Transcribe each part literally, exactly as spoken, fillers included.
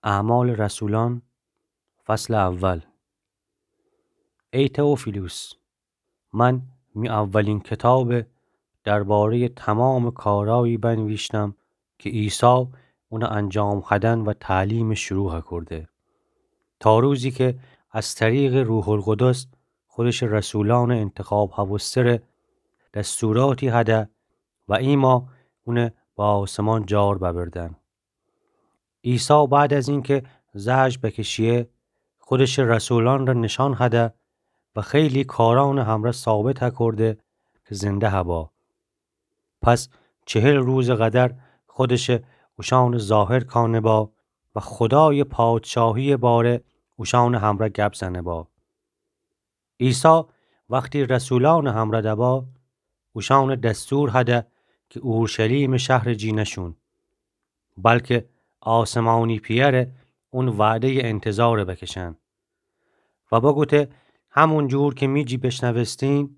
اعمال رسولان، فصل اول. ای تئوفیلوس، من می اولین کتابه درباره‌ی تمامٚ کارایی بنویشتم که عیسی اون انجام هدن و تعلیم شروع هکرده، تا روزی که از طریقٚ روح‌القدس خودشٚ رسولانٚ انتخاب هوستره دستوراتی هده و ایما اونه به آسمان جار ببردن. عیسی بعد از اینکه زجر بکشیه، خودشٚ رسولانٚ ره نشان هده و خیلی کارانٚ همرأ ثابت هکرده که زنده هبا. پس چهل روزٚ قدر خودشٚ اوشأنٚ ظاهر کانه با و خودایٚ پادشاهی‌یٚ باره اوشأنٚ همرأ گپ زنه با. عیسی وختی رسولانٚ همرأ دبا، اوشأنٚ دستور هده که اورشلیمٚ شهرٚ جی نشون، بلکه آسمانی پی‌یأره، اون وعده‌یٚ انتظاره بکشن و بگوته: همون جور که می جی بشنوستین،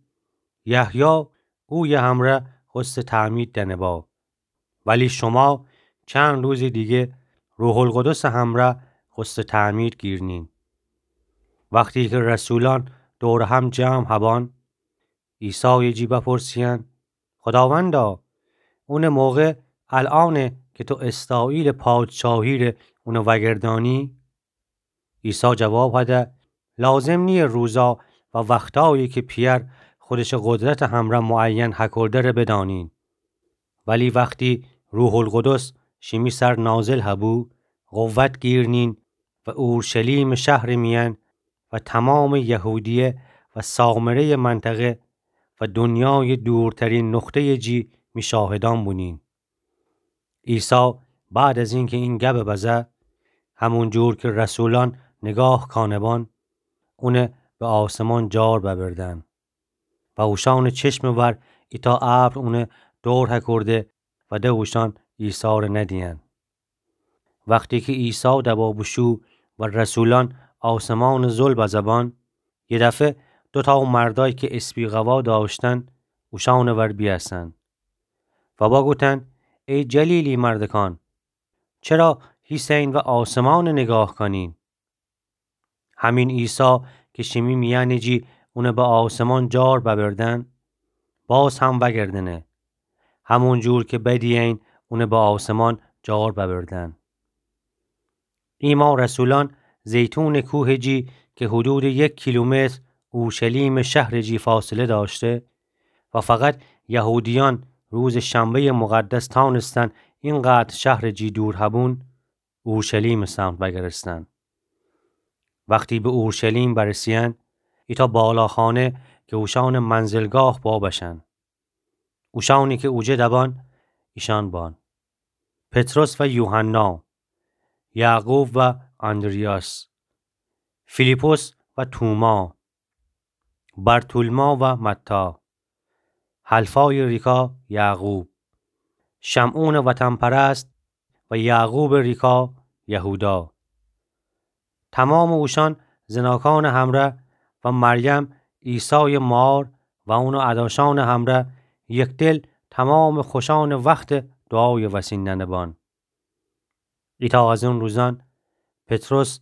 یحیی اویه همرأ خوسته تعمید دنه با، ولی شما چند روزٚ دیگه روح‌القدسٚ همرأ خوسته تعمید گیرنین. وختی که رسولان دورٚ هم جمع هبان، عیسایٚ جی بپرسیین: خوداوندا، اونٚ موقع الأنه که تو اسرائیلٚ پادشاهی ره اونه وأگردانی؟ عیسی جواب هده: لازم نییه روزا و وختایی که پی‌یأر خودشٚ قدرتٚ همرأ معین هکرده ره بدأنین. ولی وختی روح‌القدس شیمی سر نازل هبو، قوت گیرنین و اورشلیمٚ شهرٚ میأن و تمامٚ یهودیه و سامره‌یٚ منطقه و دونیایٚ دورترین نقطه‌یٚ جی می شاهدان بونین. عیسی بعد از اینکه این گبه بزه، همون جور که رسولان نگاه کانه بان، اونه به آسمان جار ببردن و اوشأنٚ چشمٚ ور ایتأ ابر اونه دور هکرده و ده اوشأن عیسی ره ندیین. وختی که عیسی دبا بوشو و رسولان آسمانٚ زل بزه بان، یه دفعه دوتأ مردأیی که اسبی قوا دأشتن اوشأنٚ ور بیأسن و بگوتن: ای جلیلی مردکان، چرا هیسه‌یین و آسمان نگاه کانین؟ همین عیسی که شیمی میأنٚ جی اونه به آسمان جار ببردن، باز هم وأگردنه، همون جور که بدیین اونه به آسمان جار ببردن. ایما رسولان زیتونٚ کوهٚ جی که حدودٚ یک کیلومتر اورشلیمٚ شهرٚ جی فاصله دأشته و فقط یهودیأن روزٚ شنبه‌یٚ مقدس تأنستن اینقدر شهرٚ جی دور هبون، اورشلیمٚ سمت وأگرستن. وختی به اورشلیم برسیین، ایتأ بالاخانه که اوشأنٚ منزلگاه با بشن. اوشأنی که اوجه دبان، ایشأن بان: پطرس و یوحنا، یعقوب و آندریاس، فیلیپس و توما، برتولما و متی، حلفایٚ ریکا یعقوب، شمعونٚ وطن‌پرست و یعقوبٚ ریکا یهودا. تمامٚ اوشأن زناکانٚ همرأ و مریم عیسایٚ مار و اونٚ اداشأنٚ همرأ یکدل تمامٚ خوشأنٚ وختٚ دوعایٚ وسین ننه بان. ایتأ از اون روزأن پطرس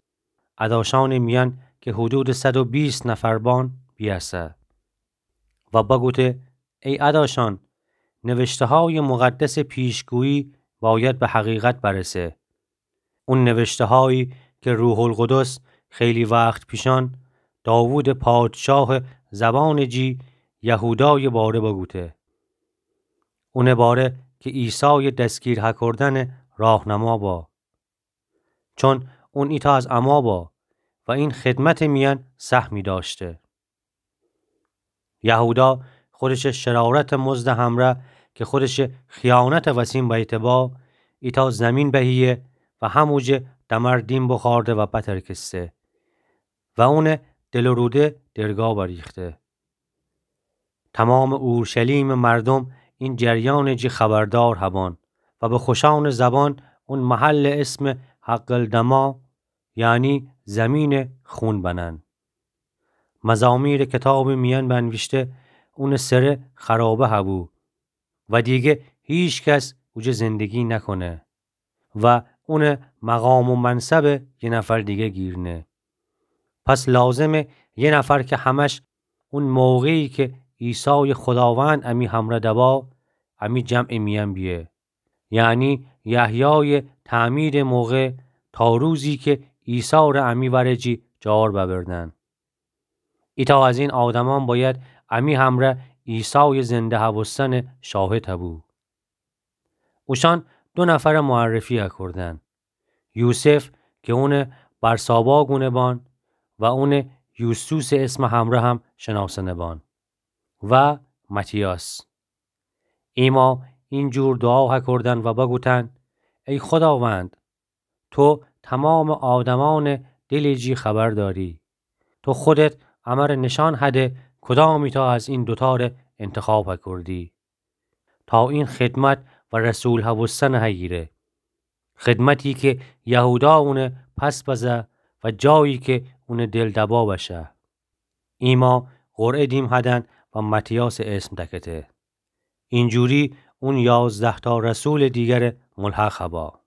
اداشأنٚ میأن که حدودٚ صد و بیست نفر بان بیأسه و بگوته: ای اداشأن، نوشته‌هایٚ مقدسٚ پیشگویی باید به حقیقت برسه. اون نوشته‌هایی که روح‌القدس خیلی وخت پیشأن داوودٚ پادشاهٚ زبانٚ جی یهودایٚ باره بگوته. اونٚ باره که عیسایٚ دستگیر هکردنٚ راهنما با. چون اون ایتأ از اما با و این خدمتٚ میأن سهمی دأشته. یهودا خودشٚ شرارتٚ مزدٚ همرأ که خودشٚ خیانتٚ وسین بیته با، ایتأ زمین بهیه و هموجه دمر دیم بخورده و بترکسته و اونٚ دل و روده درگا بریخته. تمامٚ اورشلیمٚ مردم این جریأنٚ جی خبردار هبان و به خوشأنٚ زبان اون محلٚ اسم حقلدما، یعنی زمینٚ خون بنن. مزامیرٚ کتابٚ میأن بنویشته، اونٚ سره خرابه هبو و دیگه هیکس اوجه زندگی نکنه. و اونٚ مقام و منصبٚ یه نفر دیگه گیرنه. پس لازمه یه نفر که همش اون موقعی که عیسای خداوند امی همرأ دبا، امی جمعٚ میأن بیه. یعنی یحیای تعمیدٚ موقع تا روزی که عیسی ره امی ورٚ جی جار ببردن. ایتأ از این آدمان بأید امی همرأ عیسای زنده هوستنٚ شاهد هبو. اوشأن دو نفرٚ معرفی هکردن. یوسف که اونٚ برسابا گونه بان و اونٚ یوستوسٚ اسمٚ همرأ هم شناسنه بان و متیاس. ایما این جور دوعا هکردن و بگوتن: ای خداوند، تو تمامٚ آدمأنٚ دلٚ جی خبر دأری. تو خودت امر نشأن هده کدام ایتأ از این دوتأ ره انتخاب هکردی تا این خدمت و رسول هوستن هیگیره. خدمتی که یهودا اونه پس بزه و جایی که اونٚ دل دبا بشه. ایما قرعه دیم هدن و متیاسٚ اسم دکته. اینجوری اون یازده‌تأ رسولٚ دیگرٚ ملحق هبا.